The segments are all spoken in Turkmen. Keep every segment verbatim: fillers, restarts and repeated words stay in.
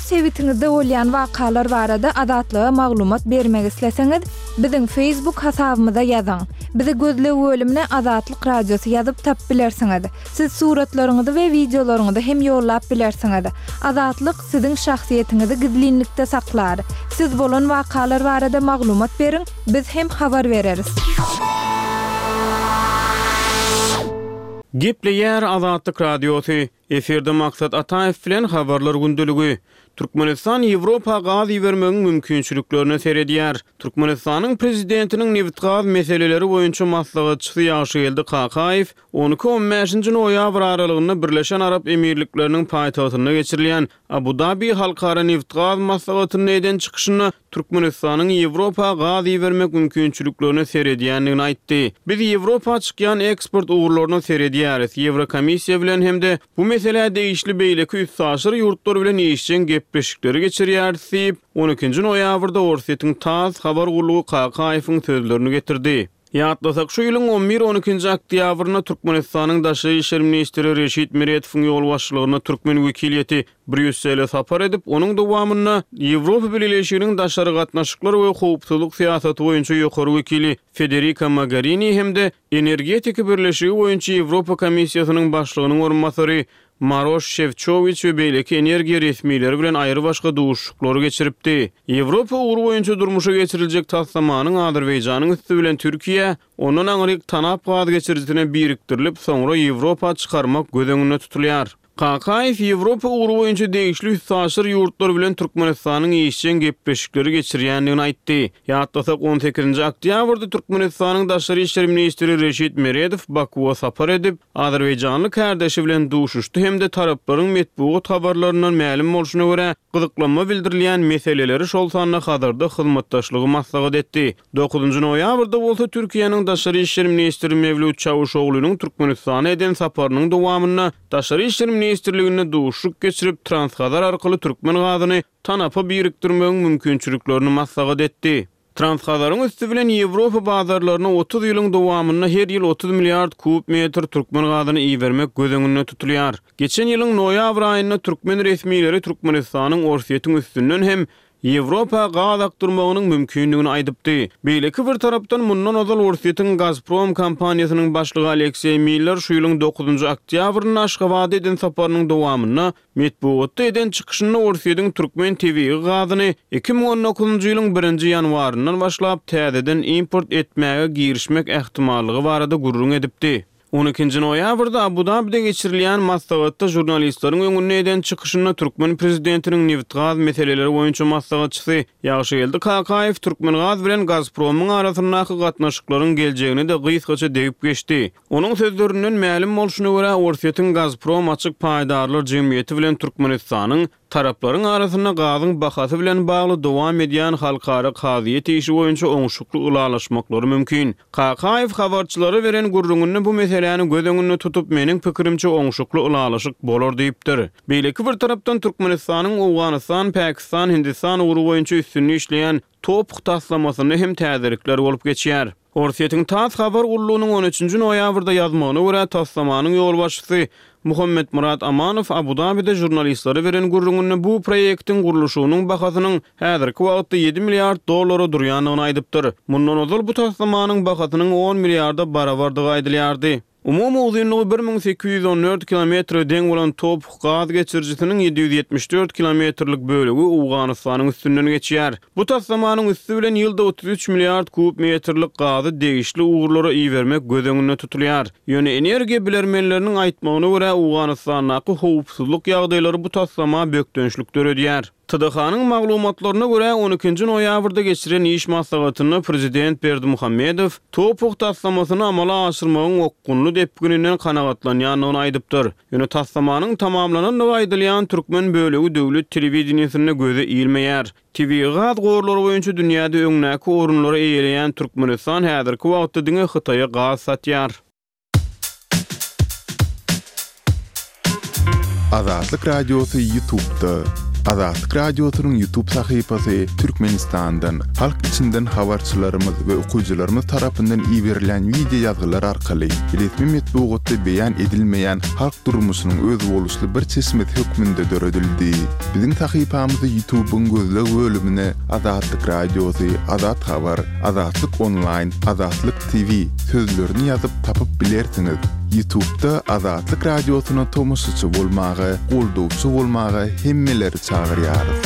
Öz sebitiňizde bolýan wakalar barada Azatlyga maglumat bermek isleseňiz, biziň Facebook hasabymyza ýazyň. Bizi gözleg bölümine Azatlyk Radiosy ýazyp tapyp bilersiňiz. Siz suratlaryňyzy we wideolaryňyzy hem ýollap bilersiňiz. Azatlyk siziň şahsyýetiňizi gizlinlikde saklar. Siz bolan wakalar barada maglumat beriň, biz hem habar bereris. Gepleýär Azatlyk Radiosy. Efirde Maksat Ataýew bilen habarlar gündeligi. Türkmenistan Ýewropa gaz ibermegiň mümkinçiliklerine seredýär. Türkmenistanyň prezidentiniň nebit-gaz meseleleri boýunça maslahatçysy Ýagşygeldi Kakaýew on iki-on bäşinji noýabr aralygynda Birleşen Arap Emirlikleriniň paýtagtynda geçirilýän Abu-Dabi halkara nebit-gaz maslahatynda eden çykyşynda Türkmenistanyň Ýewropa gaz ibermek mümkinçiliklerine seredýändigini aýtdy. Biz Ýewropa çykýan eksport ugurlaryna seredýäris. Ýewrokomissiýa bilen hem-de bu meselä degişli beýleki üstaşyr ýurtlar bilen işjeň gepleşikleri geçirýäris diýip, on ikinji noýabrda Orsýetiň TASS habar gullugy Kakaýewiň sözlerini getirdi. Ýatlasak, şu ýylyň on bir-on ikinji oktýabrynda Türkmenistanyň Daşary işler ministri Reşit Meretowyň ýolbaşçylygynda türkmen wekiliýeti Brýussele sapar edip, onuň dowamynda Ýewropa Bileleşiginiň daşary gatnaşyklar we howpsuzlyk syýasaty boýunça ýokary wekili Federika Mogherini hem-de Energetika birleşigi boýunça Ýewropa Komissiýasynyň başlygynyň orunbasary Maroş Şefçowiç we beýleki energiýa resmileri bilen aýrybaşga duşuşyklary geçiripdi. Ýewropa ugry boýunça durmuşa geçiriljek taslamanyň Azerbaýjanyň üsti bilen Türkiýä, ondan aňryk TANAP gaz geçirijisine birikdirilip, soňra Ýewropa çykarmak göz öňünde tutulýar. Kakaýew Ýewropa ugry boýunça degişli üstaşyr ýurtlar bilen Türkmenistanyň işjeň gepleşikleri geçirýändigini aýtdy. Ýatlasak, on sekizinji oktýabrda Türkmenistanyň Daşary işler ministri Reşit Meredow Bakuwa sapar edip, azerbaýjanly kärdeşi bilen duşuşdy hem-de taraplaryň metbugat habarlaryndan mälim bolşuna görä, gyzyklanma bildirilýän meseleleri, şol sanda Hazarda hyzmatdaşlygy maslahat etdi. Dokuzynjy noýabrda bolsa Türkiýäniň Daşary işler ministri Mewlüt Çawuşoglunyň Türkmenistana eden saparynyň dowamynda Daşary işler ministrliginde duşuşyk geçirip, Transhazar arkaly türkmen gazyny TANAP-a birikdirmegiň mümkinçiliklerini maslahat etdi. Transhazaryň üsti bilen Ýewropa bazarlaryna otuz ýylyň dowamynda her ýyl otuz milliard kub metr türkmen gazyny ibermek göz öňünde tutulýar. Geçen ýylyň noýabr aýynda türkmen resmileri Türkmenistanyň Orsýetiň üstünden hem Ýewropa gaz akdyrmagynyň mümkindigini aýdypdy. Beýleki bir tarapdan, mundan ozal Orsýetiň Gazprom kompaniýasynyň başlygy Alekseý Miller şu ýylyň dokuzynjy oktýabrynda Aşgabada eden saparynyň dowamynda metbugatda eden çykyşynda Orsýetiň türkmen tebigy gazyny iki müň on dokuzynjy ýylyň birinji ýanwaryndan başlap täzeden import etmäge girişmek ähtimallygy barada gürrüň edipdi. On ikinji noýabrda Abu-Dabide geçirilýän maslahatda žurnalistleriň öňünde eden çykyşynda türkmen prezidentiniň nebit-gaz meseleleri boýunça maslahatçysy Ýagşygeldi Kakaýew Türkmengaz bilen Gazpromyň arasyndaky gatnaşyklaryň geljegine-de gysgaça degip geçdi. Onuň sözlerinden mälim bolşuna görä, Orsýetiň Gazprom açyk paýdarlar jemgyýeti bilen Türkmenistanyň taraplaryň arasynda gazyň bahasy bilen bagly dowam edýän halkara kazyýet işi boýunça oňşukly ylalaşmaklary mümkin. Kakaýew habarçylara beren gürrüňinde bu meseläni göz öňünde tutup, meniň pikirimçe oňşukly ylalaşyk bolar diýipdir. Beýleki bir tarapdan Türkmenistanyň Owganystan, Pakistan, Hindistan ugry boýunça üstünde işleýän TOPH taslamasynda hem täzelikler bolup geçýär. Orsýetiň TASS habar gullugynyň on üçünji noýabrda ýazmagyna görä, taslamanyň ýolbaşçysy Muhammetmyrat Amanow Abu-Dabide žurnalistlere beren gürrüňinde bu proýektiň gurluşygynyň bahasynyň häzirki wagtda ýedi milliard dollara durýandygyny aýdypdyr. Mundan ozal bu taslamanyň bahasynyň on milliarda barabardygy aýdylýardy. Umumy uzynlygy bir müň sekiz ýüz on dört kilometre deň bolan TOPH gaz geçirijisiniň ýedi ýüz ýetmiş dört kilometrlik bölegi Owganystanyň üstünden geçýär. Bu taslamanyň üsti bilen ýylda otuz üç milliard kub metrlik gazy degişli ugurlara ibermek göz öňünde tutulýar. Ýöne energiýa bilermenleriniň aýtmagyna görä, Owganystandaky howpsuzlyk ýagdaýlary bu taslama bökdençlik döredýär. T D H-nyň maglumatlaryna görä, on ikinji noýabrda geçiren iş maslahatynda prezident Berdimuhamedow TOPH taslamasyny amala aşyrmagyň okgunly depgininden kanagatlanýandygyny aýdypdyr. Ýöne taslamanyň tamamlanandygy aýdylýan türkmen bölegi döwlet telewideniýesinde göze ilmeýär. Tebigy gaz gorlary boýunça dünýäde öňdäki orunlary eýeleýän Türkmenistan häzirki wagtda diňe Hytaýa gaz satýar. Azatlyk Radiosy YouTube'da. Azatlyk Radiosynyň YouTube sahypasy Türkmenistandan, halk içinden habarçylarymyz we okyjylarymyz tarapyndan iberilen wideo ýazgylar arkaly resmi metbugatda beýan edilmeýän halk durmuşynyň özboluşly bir çeşmesi hökmünde döredildi. Biziň sahypamyzy YouTube'yň gözleg bölümine Azatlyk Radiosy, Azat Habar, Azatlyk Online, Azatlyk T V sözlerini ýazyp tapyp bilersiňiz. YouTube'da Azatlyk Radiosyna tomaşaçy bolmaga, goldawçy bolmaga hemmeleri çagyrýarys.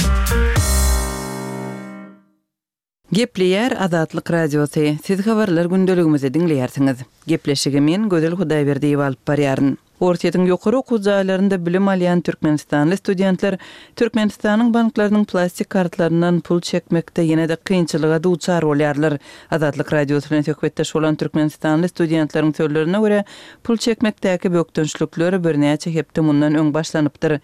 Gepleýär Azatlyk Radiosy. Siz habarlar gündeligimizi diňleýärsiňiz. Gepleşigi men Gözel Hudaýberdiýewa alyp barýaryn. Orsýetiň ýokary okuw jaýlarynda bilim alýan Türkmenistanly studentler Türkmenistanyň banklarynyň plastik kartlaryndan pul çekmekde ýene-de kynçylyga duçar bolýarlar. Azatlyk Radiosy bilen söhbetdeş bolan Türkmenistanly studentleriň sözlerine görä, pul çekmekdäki bökdençlikler birnäçe hepde mundan öň başlanypdyr.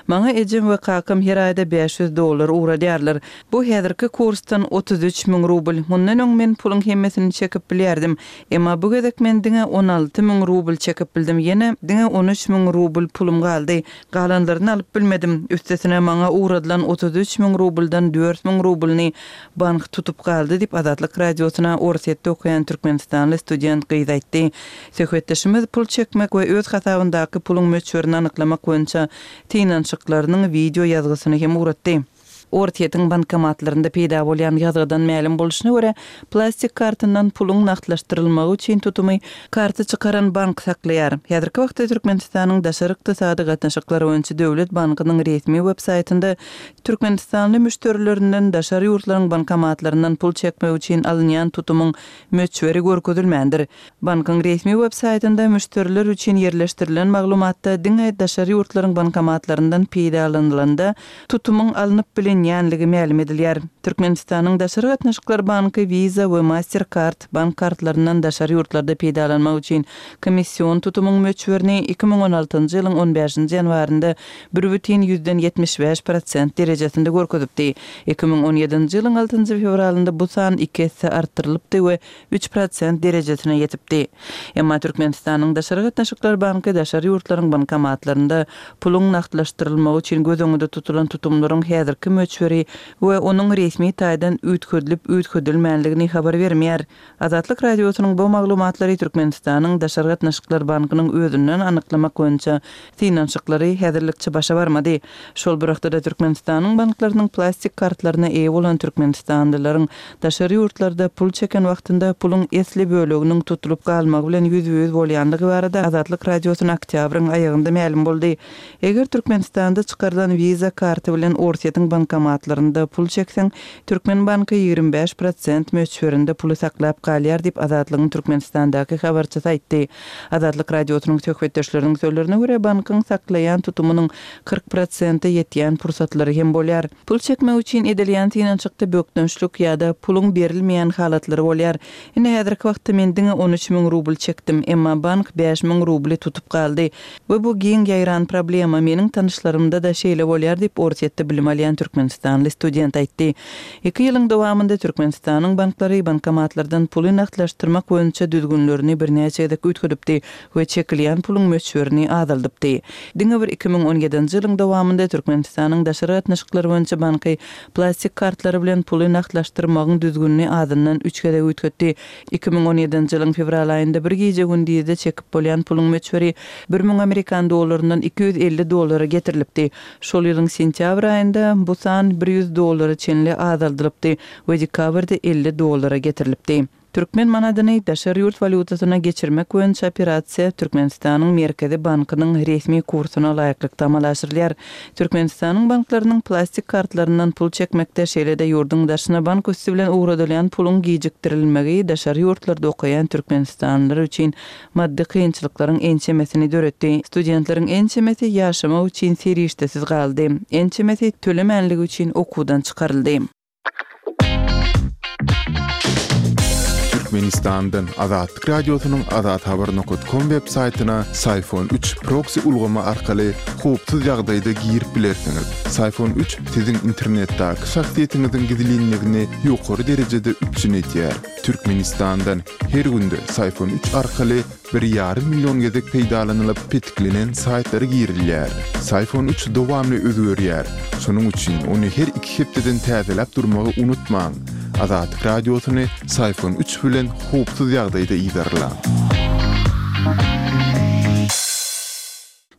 Maňa ejem we kakam her aýda bäş ýüz dollar ugradýarlar. Bu häzirki kursdan otuz üç müň rubl. Mundan öň men puluň hemmesini çekip bilýärdim. Emma bu gezek men diňe on alty müň rubl çekip bildim. Ýene diňe on üç müň rubl pulum galdy. Galanlaryny alyp bilmedim. Üstesine maňa ugradylan otuz üç müň rubldan dört müň rublyny bank tutup galdy diýip Azatlyk Radiosyna Orsýetde okaýan Türkmenistanly student gyz aýtdy. Söhbetdeşimiz pul çekmek we öz hasabyndaky puluň möçberini anyklamak boýunça synanyşyklarynyň video ýazgysyny hem ugratdy. Orsýetiň bankomatlarynda peýda bolýan ýazgydan mälim bolşuna görä, plastik kartyndan puluň nagtlaşdyrylmagy üçin tutumy karty çykaran bank saklaýar. Häzirki wagtda Türkmenistanyň daşary ykdysady gatnaşyklary boýunça Döwlet bankynyň resmi web-saýtynda Türkmenistanly müşderilerinden daşary ýurtlaryň bankomatlaryndan pul çekmek üçin alynýan tutumyň möçberi görkezilmändir. Bankyň resmi web-saýtynda müşderiler üçin ýerleşdirilen maglumatda diňe daşary ýurtlaryň bankomatlaryndan peýdalanylanda tutumyň alnyp bilinýänligi mälim edilýär. Türkmenistanyň Daşary gatnaşyklar banky Visa we Mastercard bank kartlaryndan daşary ýurtlarda peýdalanmak üçin komissiyon tutumyň möçberini iki müň on altynjy ýylyň on bäşinji ýanwarynda bir bütin ýüzden ýetmiş bäş prosent derejesinde görkezipdi. Iki müň on ýedinji ýylyň altynjy fewralynda bu san iki esse artdyrylypdy we üç prosent derejesine ýetipdi. Emma Türkmenistanyň Daşary gatnaşyklar banky daşary ýurtlaryň bankomatlarynda puluň nagtlaşdyrylmagy üçin göz öňünde tutulan tutumlaryň häzirki möçberi we onuň resmi taýdan üýtgedilip üýtgedilmänligini habar bermeýär. Azatlyk Radiosynyň bu maglumatlary Türkmenistanyň Daşary gatnaşyklar bankynyň özünden anyklamak boýunça synanyşyklary häzirlikçe başa barmady. Şol bir wagtda Türkmenistanyň banklarynyň plastik kartlaryna eýe bolan türkmenistanlylaryň daşary ýurtlarda pul çeken wagtynda puluň esli böleginiň tutulyp galmagy bilen ýüzbe-ýüz bolýanlygy barada Azatlyk Radiosyna oktýabryň aýagynda mälim boldy. Eger Türkmenistanda çykarylan Visa karty bilen Orsýetiň bankomatlarynda pul çekseň, Türkmen banky ýigrimi bäş prosent möçberinde puly saklap galýar diýip Azatlygyň Türkmenistandaky habarçysy aýtdy. Azatlyk Radiosynyň söhbetdeşleriniň sözlerine görä, bankyň saklaýan tutumynyň kyrk prosente ýetýän pursatlary hem bolýar. Pul çekmek üçin edilýän synanyşykda bökdençlik ýa-da puluň berilmeýän halatlary bolýar. Indi häzirki wagtda men diňe on üç müň rubl çekdim, emma bank bäş müň rubly tutup galdy. We bu giň ýaýran problema meniň tanyşlarymda da şeýle bolýar diýip Orsýetde bilim alýan türkmenistanly student aýtdy. Iki ýylyň dowamynda Türkmenistanyň banklary bankomatlardan puly nagtlaşdyrmak boýunça düzgünlerini birnäçe gezek üýtgedipdi we çekilýän puluň möçberini azaldypdy. Diňe bir iki müň on ýedinji ýylyň dowamynda Türkmenistanyň daşary gatnaşyklar boýunça banky plastik kartlary bilen puly nagtlaşdyrmagyň düzgünini azyndan üç gezek üýtgetdi. Iki müň on ýedinji ýylyň fewral aýynda bir gije gündizde çekip bolýan puluň möçberi bir müň amerikan dollaryndan iki ýüz elli dollara getirilipdi. Şol ýylyň sentýabr aýynda bu san bir ýüz dollara çenli azaldylypdy we dekabrda elli dollara getirilipdi. Türkmen manadyny daşary ýurt walýutasyna geçirmek boýunça operasiýa Türkmenistanyň Merkezi bankynyň resmi kursuna laýyklykda amala aşyrylýar. Türkmenistanyň banklarynyň plastik kartlaryndan pul çekmekde şeýle-de ýurduň daşyna bank üsti bilen ugradylýan puluň gijikdirilmegi daşary ýurtlarda okaýan türkmenistanlylar üçin maddy kynçylyklaryň ençemesini döretdi. Studentleriň ençemesi ýaşamak üçin serişdesiz galdy. Ençemesi tölemänligi üçin okuwdan çykaryldy. Türkmenistandan Azatlyk Radiosynyň azathabar nokat kom web saýtyna Syfon üç proksi ulgamy arkaly howpsuz ýagdaýda girip bilersiňiz. Syfon üç siziň internetdäki şahsyýetiňiziň gizlinligini ýokary derejede üpjün edýär. Türkmenistandan her günde Syfon üç arkaly bir ýarym million gezek peýdalanylyp petiklenen saýtlara girilýär. Syfon üç dowamly özgerýär. Şonuň üçin ony her iki hepdeden täzeläp durmagy unutmaň. Azatlyk Radiosyny Syfon üç bilen howpsuz ýagdaýda yzarlaň.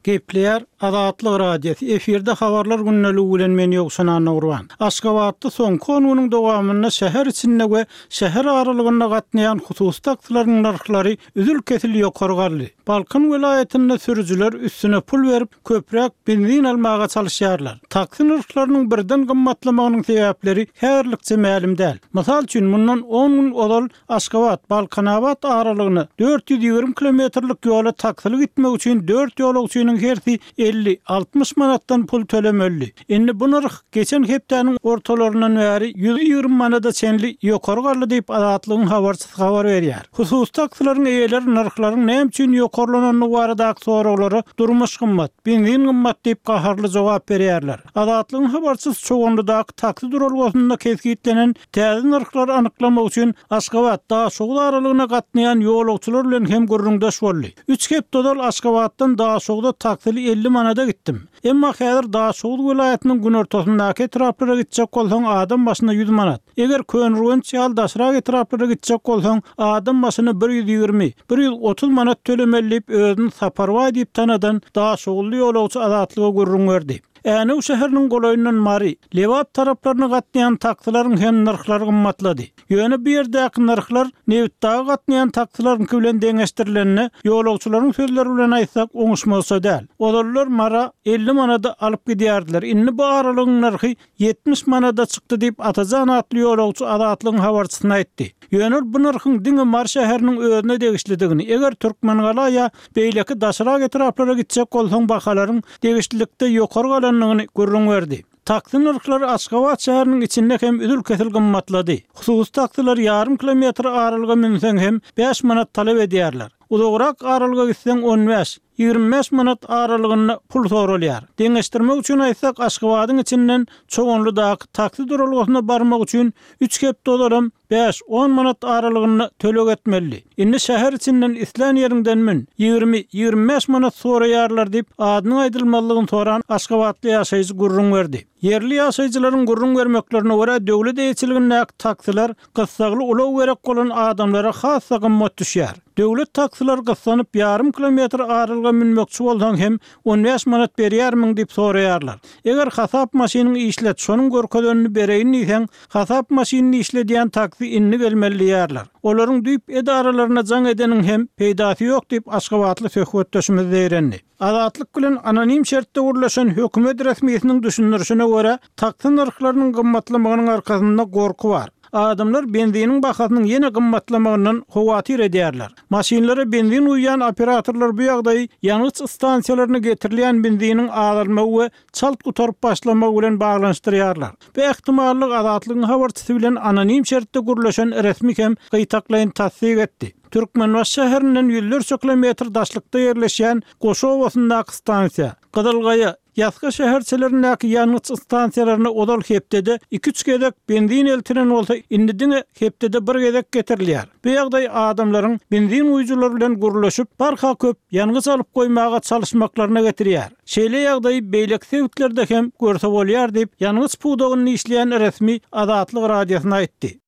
Gepleýär Azatlyk Radiosy efirde habarlar gündeligi bilen men Ýowşan Annagurban. Aşgabatda soňky on günüň dowamynda şäher içinde we şäher aralygynda gatnaýan hususy taksilaryň nyrhlary üzül-kesil ýokary galdy. Balkan welaýatynda sürüjiler üstüne pul berip köpräk benzin almaga çalışýarlar. Taksi nyrhlarynyň birden gymmatlamagynyň sebäpleri häzirlikçe mälim däl. Mysal üçin mundan on gün ozal Aşgabat Balkanabat aralygyna dört ýüz ýigrimi kilometrlik ýola taksili gitmek üçin dört ýolagçynyň hersi elli altmyş manatdan pul tölemeli. Indi bu nyrh geçen hepdäniň ortalaryndan bäri ýüz ýigrimi manada çenli ýokary galdy diýip Azatlygyň habarçysy habar berýär. Hususy taksilaryň eýeleri nyrhlaryň näme üçin ýokarlanandygy baradaky soraglara durmuş gymmat, benzin gymmat diýip gaharly jogap berýärler. Azatlygyň habarçysy Çoganlydaky taksi duralgasynda kesgitlenen täze nyrhlary anyklamak üçin Aşgabat Daşoguz aralygyna gatnaýan ýolagçylar bilen hem gürrüňdeş boldy. Üç hepde ozal Aşgabatdan Daşoguza taksili elli manada gitdim. Emma häzir Daşoguz welaýatynyň günortasyndaky etraplara gitjek bolsaň adam başyna ýüz manat. Eger Köneürgenç ýaly daşrak etraplara gitjek bolsaň adam başyna bir ýüz ýigrimi, bir ýüz otuz manat tölemeli diýip özüni Saparbaý diýip tanadan Daşoguzly ýolagçy Azatlyga gürrüň berdi. Änew şäheriniň golaýyndan Mary, Lebap taraplaryna gatnaýan taksilaryň hem nyrhlary gymmatlady. Ýöne bu ýerdäki nyrhlar Nebitdagy gatnaýan taksilaryňky bilen deňeşdirilende ýolagçylaryň sözleri bilen aýtsak oňuşmazça däl. Ozallar Mara elli manada alyp gidýärdiler. Indi bu aralygyň nyrhy ýetmiş manada çykdy diýip Atajan atly ýolagçy Azatlygyň habarçysyna aýtdy. Ýöne bu nyrhyň diňe Mary şäheriniň özüne degişlidigini, eger Türkmengala ýa beýleki daşrak etraplara gitjek bolsaň bahalaryň degişlilikde ýokary galandygyny gürrüň berdi. Taksi nyrhlary Aşgabat şäheriniň içinde hem üzül-kesil gymmatlady. Hususy taksiler ýarym kilometr aralyga münseň hem bäş manat talap edýärler. Uzagrak aralyga gitseň on bäş, ýigrimi bäş manat aralygynda pul soralýar. Deňeşdirmek üçin aýtsak Aşgabadyň içinden Çoganlydaky taksi duralgasyna barmak üçin üç hepde ozalam bäş on manat aralygynda töleg etmeli. Indi şäher içinden islän ýeriňden mün, ýigrimi, ýigrimi bäş manat soraýarlar diýip adynyň aýdylmalygyny soran Aşgabatly ýaşaýjy gürrüň berdi. Ýerli ýaşaýjylaryň gürrüň bermeklerine görä döwlet eýeçiligindäki taksiler gyssagly ulag gerek bolan adamlara has-da gymmat düşýär. Döwlet taksiler gyssanyp ýarym kilometr aralyga münmekçi bolsaň hem on bäş manat berýärmiň diýip soraýarlar. Eger hasap maşynyň işlet, şonuň görkezenini bereýin diýseň, hasap maşynyny işledýän taksi indi gelmeli diýärler. Olaryň düýp edaralaryna jaň edeniň hem peýdasy ýok diýip Aşgabatly söhbetdeşimiz zeýrendi. Azatlyk bilen anonim şertde gurlaşan hökümet resmisiniň düşündirişine görä, taksi nyrhlarynyň gymmatlamagynyň arkasynda gorky bar. Adamlar benziniň bahasynyň ýene gymmatlamagyndan howatyr edýärler. Maşynlara benzin guýýan operatorlar bu ýagdaýy ýangyç stansiýalaryna getirilýän benziniň azalmagy we çalt gutaryp başlamagy bilen baglanyşdyrýarlar. Bu ähtimallyk Azatlygyň habarçysy bilen anonim şertde gurlaşan resmi hem gytaklaýyn tassyk etdi. Türkmenbaşy şäherinden ýüzlerçe kilometr daşlykda ýerleşýän Goşobasyndaky stansiýa, Gyzylgaýa, Ýasga şäherçelerindäki ýangyç stansiýalaryna ozal hepdede iki-üç gezek benzin eltilen bolsa, indi diňe hepdede bir gezek getirilýär. Bu ýagdaý adamlaryň benzin guýujylary bilen gurlaşyp, barha köp ýangyç alyp goýmaga çalyşmaklaryna getirýär. Şeýle ýagdaýy beýleki sebitlerde hem görse bolýar diýip, ýangyç pudagynda işleýän resmi Azatlyk Radiosyna aýtdy.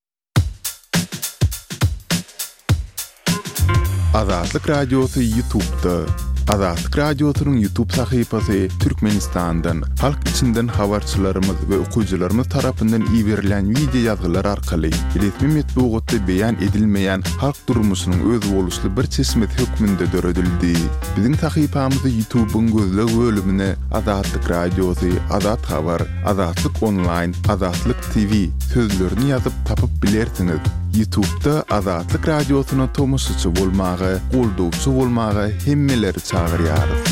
Azatlyk Radiosy YouTube'da. Azatlyk Radiosynyň YouTube sahypasy Türkmenistandan, halk içinden habarçylarymyz we okyjylarymyz tarapyndan iberilen video ýazgylar arkaly resmi metbugatda beýan edilmeýän halk durmuşynyň özboluşly bir çeşmesi hökmünde döredildi. Biziň sahypamyzy YouTube'yň gözleg bölümine Azatlyk Radiosy, Azat Habar, Azatlyk Online, Azatlyk T V sözlerini ýazyp tapyp bilersiňiz. YouTube'da Azatlyk Radiosyna tomaşaçy bolmaga, goldawçy bolmaga hemmeleri çagyrýarys.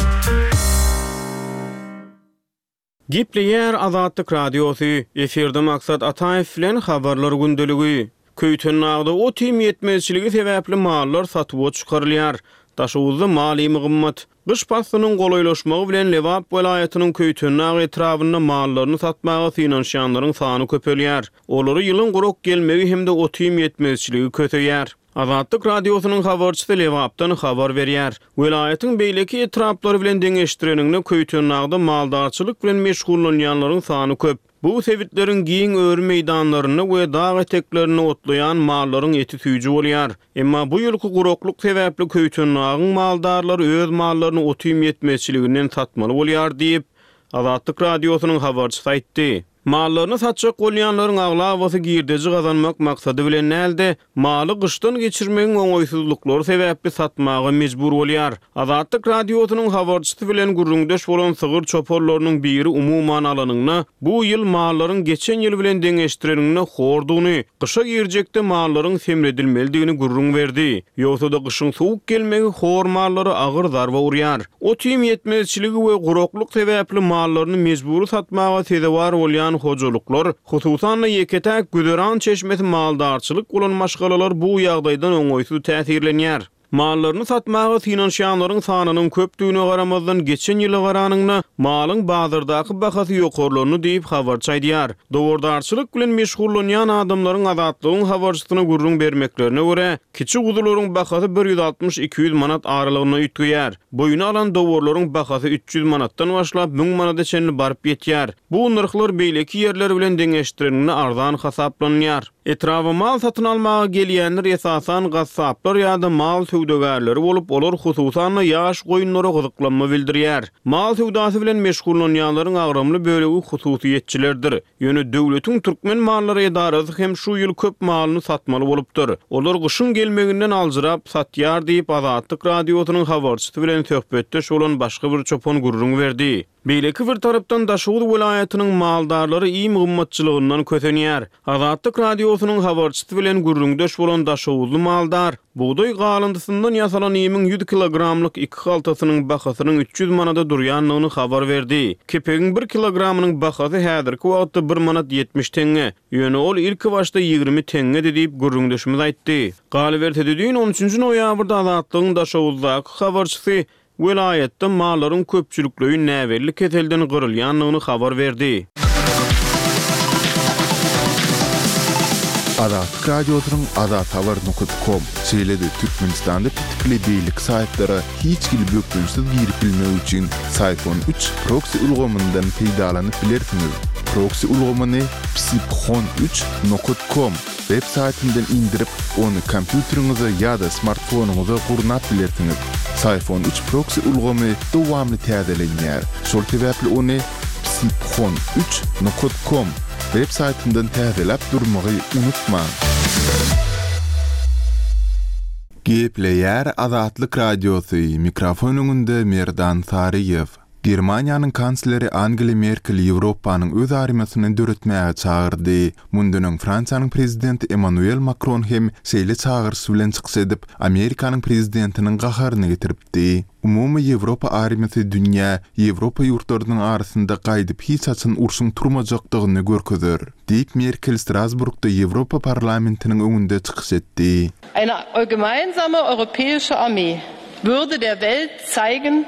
Gepleýär Azatlyk Radiosy, efirde Maksat Ataýew bilen habarlar gündeligi. Köýtendagda ot-iým ýetmezçiligi sebäpli mallar satuwa çykarylýar. Daşoguzda mal iými gymmat. Gyş paslynyň golaýlaşmagy bilen Lebap welaýatynyň Köýtendag etrabynda mallaryny satmaga synanyşýanlaryň sany köpelýär. Olary ýylyň gurak gelmegi hem-de ot-iým ýetmezçiligi köseýär. Azatlyk Radiosynyň habarçysy Lebapdan habar berýär. Welaýatyň beýleki etraplary bilen deňeşdireniňde Köýtendagda maldarçylyk bilen meşgullanýanlaryň sany köp. Bu sebitleriň giň öri meýdanlarynda we dag eteklerinde otlaýan mallaryň eti süýji bolýar. Emma bu ýylky guraklyk sebäpli Köýtendagyň maldarlary öz mallaryny ot-iým ýetmezçiliginden satmaly bolýar diýip, Azatlyk Radiosynyň habarçysy aýtdy. Mallaryny satjak bolýanlaryň aglabasy girdeji gazanmak maksady bilen däl-de, maly gyşdan geçirmegiň oňaýsyzlyklary sebäpli satmaga mejbur bolýar. Azatlyk Radiosynyň habarçysy bilen gürrüňdeş bolan sygyr çopanlarynyň biri umuman alanyňda, bu ýyl mallaryň geçen ýyl bilen deňeşdireniňde hordugyny, gyşa girjekde mallaryň semredilmelidigini gürrüň berdi. Ýogsa-da gyşyň sowuk gelmegi hor mallara agyr zarba urýar. Ot-iým ýetmezçiligi we guraklyk sebäpli mallaryny mejbury satmaga sezewar bolýan hojalyklar, hususan-da ýeke-täk güzeran çeşmesi maldarçylyk bolan maşgalalar bu ýagdaýdan oňaýsyz täsirlenýär. Mallaryny satmaga synanyşýanlaryň sanynyň köpdügine garamazdan geçen ýyla garanyňda malyň bazardaky bahasy ýokarlandy diýip habarçy aýdýar. Dowardarçylyk bilen meşgullanýan adamlaryň Azatlygyň habarçysyna gürrüň bermeklerine görä, kiçi guzularyň bahasy bir ýüz altmyş iki ýüz manat aralygynda üýtgeýär. Boýuna alan dowarlaryň bahasy üç ýüz manatdan başlap müň manada çenli baryp ýetýär. Bu nyrhlar beýleki ýerler bilen deňeşdireninde arzan hasaplanýar. Etraba mal satyn almaga gelýänler esasan gassaplar ýa-da mal söwdagärleri bolup, olar hususan-da ýaş goýunlara gyzyklanma bildirýär. Mal söwdasy bilen meşgullanýanlaryň agramly bölegi hususyýetçilerdir. Ýöne döwletiň Türkmen mallary edarasy hem şu ýyl köp malyny satmaly bolupdyr. Olar gyşyň gelmeginden aljyrap satýar diýip Azatlyk Radiosynyň habarçysy bilen söhbetdeş bolan başga bir çopan gürrüň berdi. Beýleki bir tarapdan Daşoguz welaýatynyň maldarlary iým gymmatçylygyndan kösenýär. Azatlyk Radiosynyň habarçysy bilen gürrüňdeş bolan Daşoguzly maldar bugdaý galyndysyndan ýasalan iýmiň ýüz kilogramlyk iki haltasynyň bahasynyň üç ýüz manada durýandygyny habar berdi. Kepegiň bir kilogramynyň bahasy häzirki wagtda bir manat ýetmiş teňňe. Ýöne ol ilki başda ýigrimi teňňedi diýip gürrüňdeşimiz aýtdy. Galyberse-de düýn on üçünji noýabrda Azatlygyň Daşoguzdaky habarçysy welaýatda mallaryň köpçülikleýin näbelli keselden gyrylýandygyny habar berdi. Azatlyk Radiosynyň azathabar nokta com, şeýle-de Türkmenistanda petikli beýleki saýtlara hiç hili bökdençsiz girip bilmek üçin Syfon üç proksi ulgamyndan peýdalanyp bilersiňiz. Proksi ulgamyny psiphon üç nokta com web saýtyndan indirip, ony kompýuteriňize ýa-da smartfonyňyza gurnap bilersiňiz. Syfon üç proksi ulgamy dowamly täzelenýär. Şol sebäpli ony psiphon üç nokta com web saýtyndan täzeläp durmagy unutmaň. Gepleýär Azatlyk Radiosy, mikrofon öňünde Merdan Saryýew. Germaniýanyň kansleri Angela Merkel Ýewropanyň öz armiýasyny döretmäge çagyrdy. Mundan öň Fransiýanyň prezidenti Emmanuel Makron hem şeýle çagyryş bilen çykyş edip, Amerikanyň prezidentiniň gaharyny getiripdi. Umumy Ýewropa armiýasy dünýä, Ýewropa ýurtlarynyň arasynda gaýdyp hiç haçan urşuň turmajakdygyny görkezer, diýip Merkel Strasburgda Ýewropa parlamentiniň öňünde çykyş etdi. Eine gemeinsame europäische Armee würde der Welt zeigen,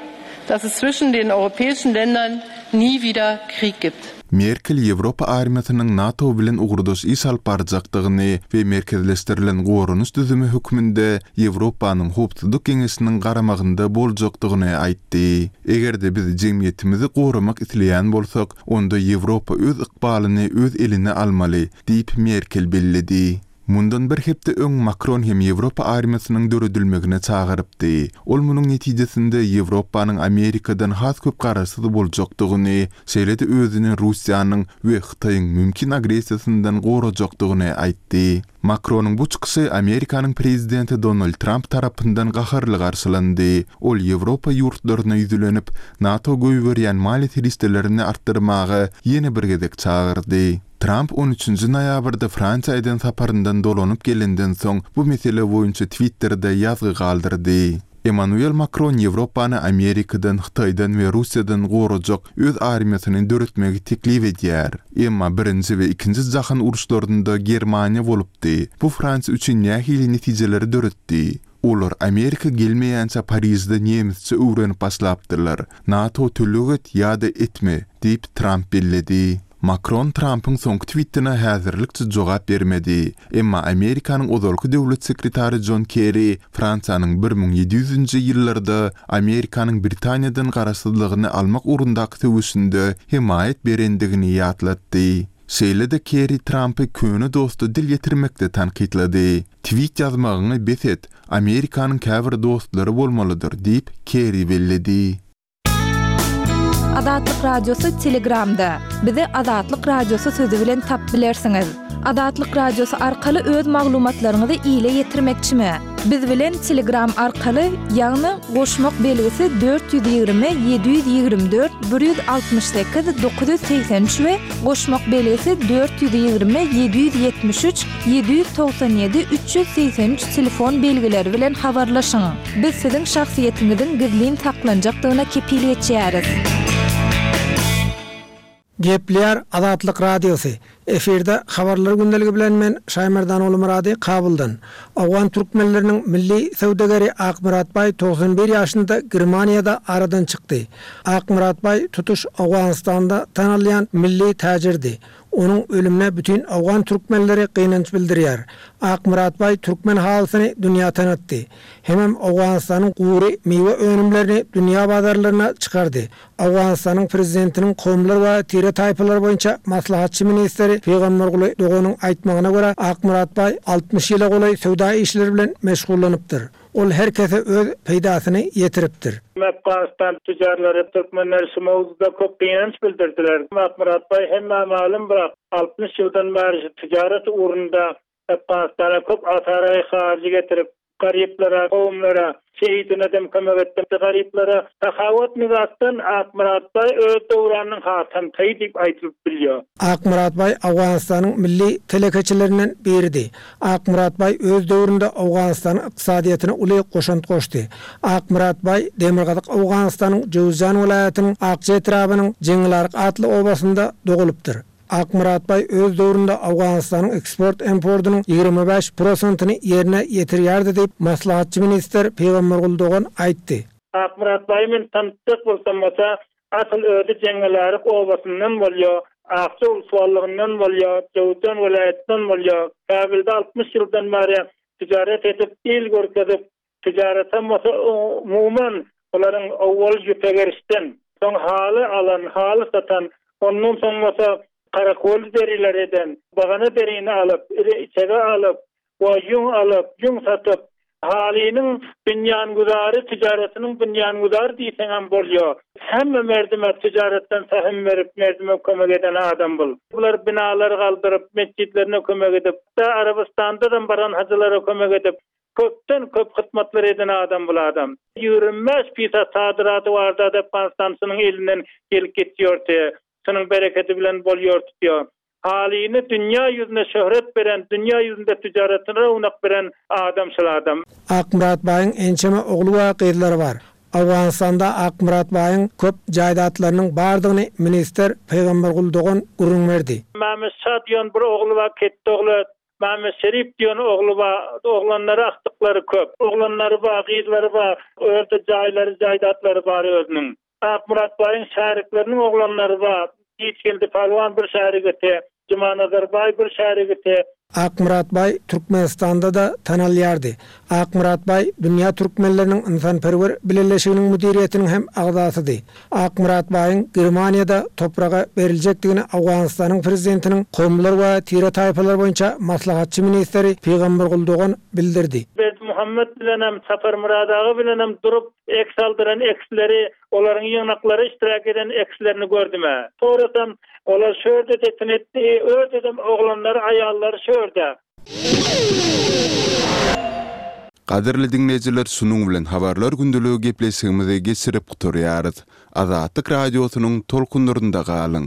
dass es zwischen den europäischen Ländern nie wieder Krieg gibt. Merkel Ýewropa armiýasynyň NATO bilen ugurdaş iş alyp barjakdygyny we merkezleşdirilen goranyş düzümi hökmünde Ýewropanyň howpsuzlyk geňeşiniň garamagynda boljakdygyny aýtdy. Eger-de biz jemgyýetimizi goramak isleýän bolsak, onda Ýewropa öz ykbalyny öz eline almaly, diýip Merkel belledi. Mundan bir hepde öň Makron hem Ýewropa armiýasynyň döredilmegine çagyrypdy. Ol munuň netijesinde Ýewropanyň Amerikadan has köp garaşsyz boljakdygyny, şeýle-de özüni Russiýanyň we Hytaýyň mümkin agressiýasyndan gorajakdygyny aýtdy. Makronyň bu çykyşy Amerikanyň prezidenti Donald Trump tarapyndan gaharly garşylandy. Ol Ýewropa ýurtlaryna ýüzlenip, NATO goýberýän maliýe serişdelerini artdyrmaga ýene bir gezek çagyrdy. Trump on üçünji noýabrda Fransiýa eden saparyndan dolanyp gelenden soň bu mesele boýunça Twitter'de ýazgy galdyrdy. Emmanuel Makron Ýewropany Amerikadan, Hytaýdan we Russiýadan gorajak öz armiýasyny döretmegi teklip edýär. Emma Birinji we Ikinji jahan uruşlarynda Germaniýa bolupdy. Bu Fransiýa üçin nähili netijeleri döretdi? Olar Amerika gelmeýänçä Parižde nemisçe öwrenip başlapdyrlar. NATO töleg et ýa-da etme, diýip, Tramp belledi. Makron Trampyň soňky twitine häzirlikçe jogap bermedi. Emma Amerikanyň ozalky döwlet sekretary Jon Kerri Fransiýanyň bir müň ýedi ýüzünji ýyllarda Amerikanyň Britaniýadan garaşsyzlygyny almak ugrundaky söweşinde hemaýat berendigini ýatlatdy. Şeýle-de Kerri Trampy köne dosta dil ýetirmekde tankytlady. Twit ýazmagyňy bes et, Amerikanyň käbir dostlary bolmalydyr diýip, Kerri belledi. Azatlyk Radiosy Telegramda. Bizi Azatlyk Radiosy sözi bilen tapyp bilersiňiz. Azatlyk Radiosy arkaly öz maglumatlaryňyzy ile ýetirmekçimi? Biz bilen Telegram arkaly, ýagny goşmak belgisi dört ýüz ýigrimi ýedi ýüz ýigrimi dört bir ýüz altmyş sekiz dokuz ýüz segsen üç we goşmak belgisi dört ýüz ýigrimi ýedi ýüz ýetmiş üç ýedi ýüz togsan ýedi üç ýüz segsen üç telefon belgileri bilen habarlaşyň. Biz siziň şahsyýetiňiziň gizlin saklanjakdygyna kepil geçýäris. Gepleýär Azatlyk Radiosy. Efirde habarlar gündeligi bilen men Şaýmerdan Ogulmyrady Kabuldan. Owgan türkmenleriniň milli söwdageri Akmyrat baý togsan bir ýaşynda Germaniýada aradan çykdy. Akmyrat baý tutuş Owganystanda tanalýan milli täjirdi. Onuň ölümine bütin owgan türkmenleri gynanç bildirýär. Akmyrat baý türkmen halysyny dünýä tanatdy. Hemem Owganystanyň gury miwe önümlerini dünýä bazarlaryna çykardy. Owganystanyň prezidentiniň kowumlar we tire-taýpalar boýunça maslahatçy ministri Pygamberguly Doganyň aýtmagyna görä, Akmyrat baý altmyş ýyla golaý söwda işleri bilen meşgullanypdyr. Ol her kese öz peýdasyny ýetiripdir. Afganistan tüccarlary türkmenler şu mowzuda köp gynanç bildirdiler. Akmyrat baý hemmä malum birak altmyş ýyldan bäri şu ticaret ugrunda Afganistana köp asaraý harjy getirip, garyplara, kowumlara, şehidine dem kömek etdi. Garyplara sahawat mizasdan Akmyrat baý öz döwranynyň Hatam Taý diýip aýdylyp bilýär. Akmyrat baý Owganystanyň milli telekeçilerinden biridi. Akmyrat baý öz döwründe Owganystanyň ykdysadyýatyna uly goşant goşdy. Akmyrat baý Demirgazyk Owganystanyň Jöwüzjan welaýatynyň Akja etrabynyň Jeňňilaryk atly obasynda dogulypdyr. Akmyrat baý öz döwründe Owganystanyň eksport-importynyň ýigrimi bäş prosentyny ýerine ýetirýärdi diýip, maslahatçy ministr Pygamberguly Dogan aýtdy. Akmyrat baý men tanıtjak bolsam bolsa, asyl özi Jeňňilaryk obasyndan bolýar, Akja ulsuwallygyndan bolýar, Jöwüzjan welaýatyndan bolýar. Kabilde altmyş ýyldan bäri ticaret edip, il görkezip, ticaretem bolsa umuman olaryň owwal ýüpe gerişden, soň haly alan, haly satan, ondan soň bolsa karakol deriler eden, bagana derini alyp, iri içege alyp, we ýüň alyp, ýüň satyp, halynyň binýanguzary, ticaretiniň binýanguzary diýseňem bolýar. Hemme merdime ticaretden sahim berip, merdime kömek eden adam bul. Bular binalar galdyryp, mesjitlerine kömek edip, da Arabystanda da baran hajylara kömek edip, köpden köp hyzmatlar eden adam bul adam. Ýigrimi bäş pisa sadyraty bardy Afganistansynyň elinden gelip geçýärdi. Şunuň bereketi bilen bolýar tutýar. Halyny dünýä ýüzüne şöhret beren, dünýä ýüzünde ticaretine rownak beren adam şul adam. Akmyrat baýyň ençeme ogly we gyzlary bar. Owganystanda Akmyrat baýyň köp jaýdatlarynyň bardygyny ministr Pygamberguly Dogan gürrüň berdi. Mämmet Şa diýen bir ogly bar, ketde ogly, Mämmet Şerif diýen ogly bar, oglanlary akdyklary köp. Oglanlary bar, gyzlary bar, örde jaýlary, jaýdatlary bar özüniň. Akmyrat baýyň şärikleriniň oglanlary bar. Giçgeldi Palwan bir şärigiti, Jumanazar baý bir şärigiti. Akmyrat baý Türkmenistanda da tanalýardy. Akmyrat baý dünýä türkmenleriniň ynsanperwer bileleşiginiň müdiriýetiniň hem agzasydy. Akmyrat baýyň Germaniýada topraga beriljekdigini Owganystanyň prezidentiniň kowumlar we tire-taýpalar boýunça maslahatçy ministri Pygamberguly Dogan bildirdi. Berdimuhammet bilenem, Saparmyrat aga bilenem durup eks aldyran eksleri, olaryň ýygnaklary iştirak eden ekslerini gördüm. Sonradan olar şörde detin etdi, ördedem oglanlary, aýallary şörde. Gadyrly diňleýjiler, şunuň bilen habarlar gündeligi gepleşigimizi geçirip gutarýarys. Azatlyk radiosynyň tolkunlarynda galyň.